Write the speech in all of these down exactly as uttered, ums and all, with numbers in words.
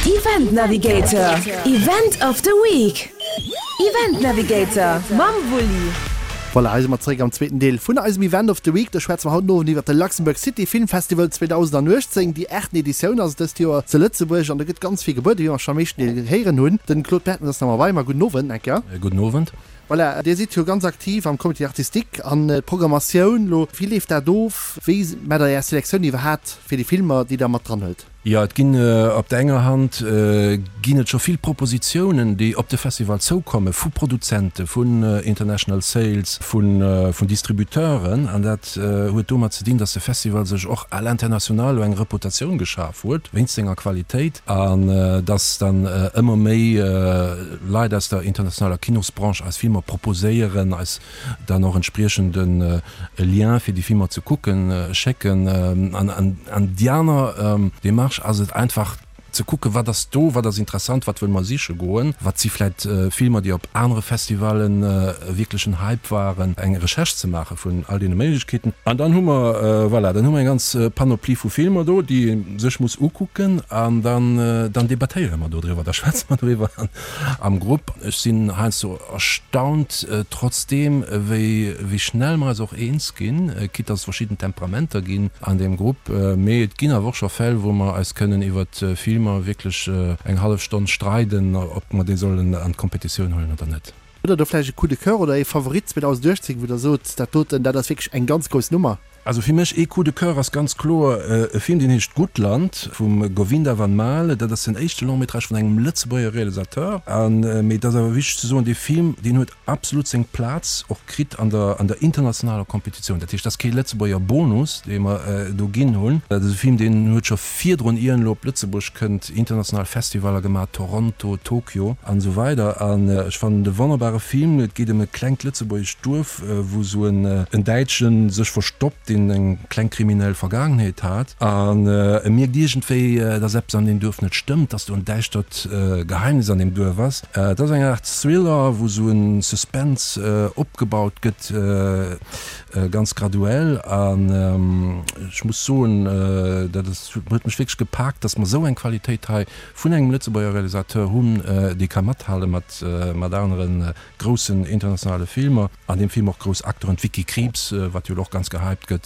Event Navigator, Event of the Week. Event Navigator mam Wulli. Voilà, hei si mer zeréck am zweeten Deel vun eisem Event of the Week. Do schwätze mer haut den Owend iwwert de Luxembourg City Film Festival zweedausendauechtzéng. Déi aachten Editioun ass et dëst Joer zu Lëtzebuerg an do gëtt ganz vill gebueden, wéi mer schonn am éischten Deel héieren hunn. Den Claude Bertens ass nach mat bei mer. Gudden Owend, eng Kéier. Gudden Owend. Voilà, Dir sidd jo ganz aktiv am Comité artistique an d'Programmatioun elo. Wéi leeft dat of? Wéi maacht Der Är Selektioun iwwerhaapt fir déi Filmer, déi Der mat dran huelt? Jo, et ginn op der enger Hand ginn et scho vill Propositionen, déi op de Festival zoukomme vu Produzente, vun International Sales, vun Distributeuren. An dat huet domat ze dinn, datt de Festival sech och à l'international elo eng Reputatioun geschaf huet wéinst senger Qualitéit an datt dann ëmmer méi Leit aus der internationaler Kinosbranche eis Filmer proposéieren, eis dann och entspriechend e Lien fir déi Filmer ze kucken schécken. An déi aner Demarche ass et einfach ze kucken, wat ass do, wat ass interessant, wat wëlle mer siche goen, wat si vläit Filmer, déi op anere Festivallen e wierklechen Hype waren, eng Recherche ze maache vun all deene Méiglechkeeten. An dann hu mer, voilà, dann hu mer eng ganz Panoplie vu Filmer do, déi ee sech muss ukucken an dann, dann debattéiere mer dodriwwer, da schwätze mer doriwwer am Grupp. Ech sinn heiansdo erstaunt trotzdeem, wéi, wéi schnell mer eis och eens ginn, quitte dass et verschidden Temperamenter ginn an deem Grupp. Mee et ginn awer och scho Fäll, wou mer eis kënnen iwwert Filmer wierklech eng hallef Stonn streiden, ob mer déi sollen an d'Kompetitioun huelen oder net. Hutt Der do vläicht e Coup de cœur oder ee Favorit zweedausenduechtzéng, wou Der sot, dat doten, dat ass wierklech eng ganz grouss Nummer? Also fir mech ee Coup de cœur ass ganz kloer e Film, deen heescht Gutland vum Govinda Van Maele. Dat ass den éischte Long-métrage vun engem Lëtzebuerger Realisateur. An, mee et ass awer wichteg ze soen, dee Film, deen huet absolut seng Plaz och kritt an der an der internationaler Kompetitioun. Dat heescht, dat ass kee Lëtzebuerger Bonus, dee mer do ginn hunn. Dat ass e Film, deen huet scho virdrun, ier en elo op Lëtzebuerg kënnt, international Festivaller gemaach, Toronto, Tokio an esou weider. An ech fannen et e wonnerbare Film. Et geet ëm e klengt lëtzebuergescht Duerf, wou esou en Däitsche sech verstoppt, deen eng kleng kriminell Vergaangenheet hat. An e mierkt iergendwéi, dass eppes an deem Duerf net stëmmt, dass do en däischtert Geheimnis an deem Duerf ass. Et ass eng Aart Thriller, wou esou e Suspense opgebaut gëtt, ganz graduell. An ech muss soen, dat huet mech wierklech gepaakt, dass mer esou eng Qualitéit hei vun engem Lëtzebuerger Realisateur hunn, dee ka mathale mat anere groussen internationale Filmer. An deem Film och grouss Acteuren, d'Vicky Krieps, wat jo elo och ganz gehypt gëtt,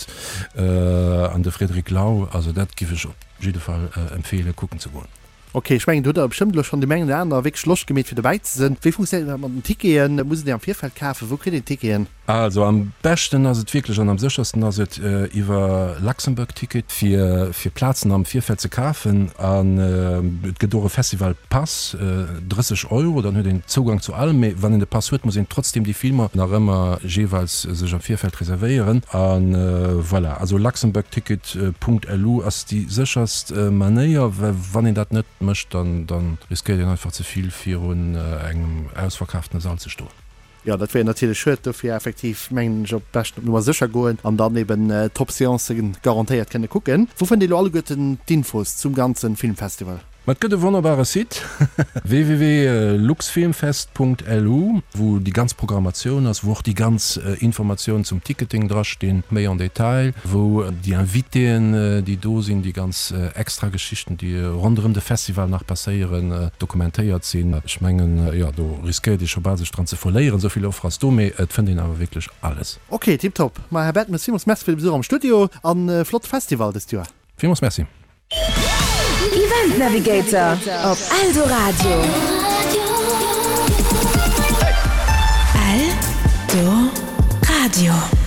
an de Frédéric Lau. Also dat giff ech op jidde Fall empfeelen, kucken ze goen. Ok, ech mengen do hutt der bestëmmt elo schonn deem engen oder aner wierklech Loscht gemeet fir dobäi ze sinn. Wéi funktionéiert dat mat den Ticketen? Muss een déi am Virfeld kafen? Wou kritt een d'Ticketen? Also am beschten ass et wierklech an am séchersten ass et iwwer Luxembourg Ticket fir fir Plazen am Virfeld ze kafen. An et gëtt och e Festival Pass, drësseg Euro, dann huet een Zougang zu allem. Mee wann een de Pass huet, muss een trotzdem déi Filmer nach ëmmer jeeweils sech am Virfeld reservéieren. A voilà, also luxembourgticket Punkt lu ass déi sécherst Manéier, well wann een dat net mécht, dann dann riskéiert een einfach ze vill virun engem ausverkaftene Sall ze stoen. Jo, dat wier natierlech schued. Dofir effektiv mengen ech op beschten op Nummer sécher goen an dann eben d'Top-Seancen garantéiert kënne kucken. Wou fënnt ee lo alleguerten d'Infos zum ganzen Filmfestival? Ma et gëtt e wonnerbare Site, www.luxfilmfest.lu, wou déi ganz Programmatioun ass, wou och déi ganz Informatiounen zum Ticketing drastinn, méi en détail, wou déi Invitéen, déi do sinn, déi ganz extra Geschichten, déi ronderëm de Festival nach passéieren, dokumentéiert sinn. Ech mengen, jo, do riskéiert ee scho bal sech dran ze verléieren, esou vill Offer ass do, mee et fënnt een awer wierklech alles. Ok, tiptop. Ma Här Bertemes, villmools Merci fir de Besuch am Studio an e flott Festival dëst Joer. Villmools Merci. Event Navigator op Eldoradio. Eldoradio.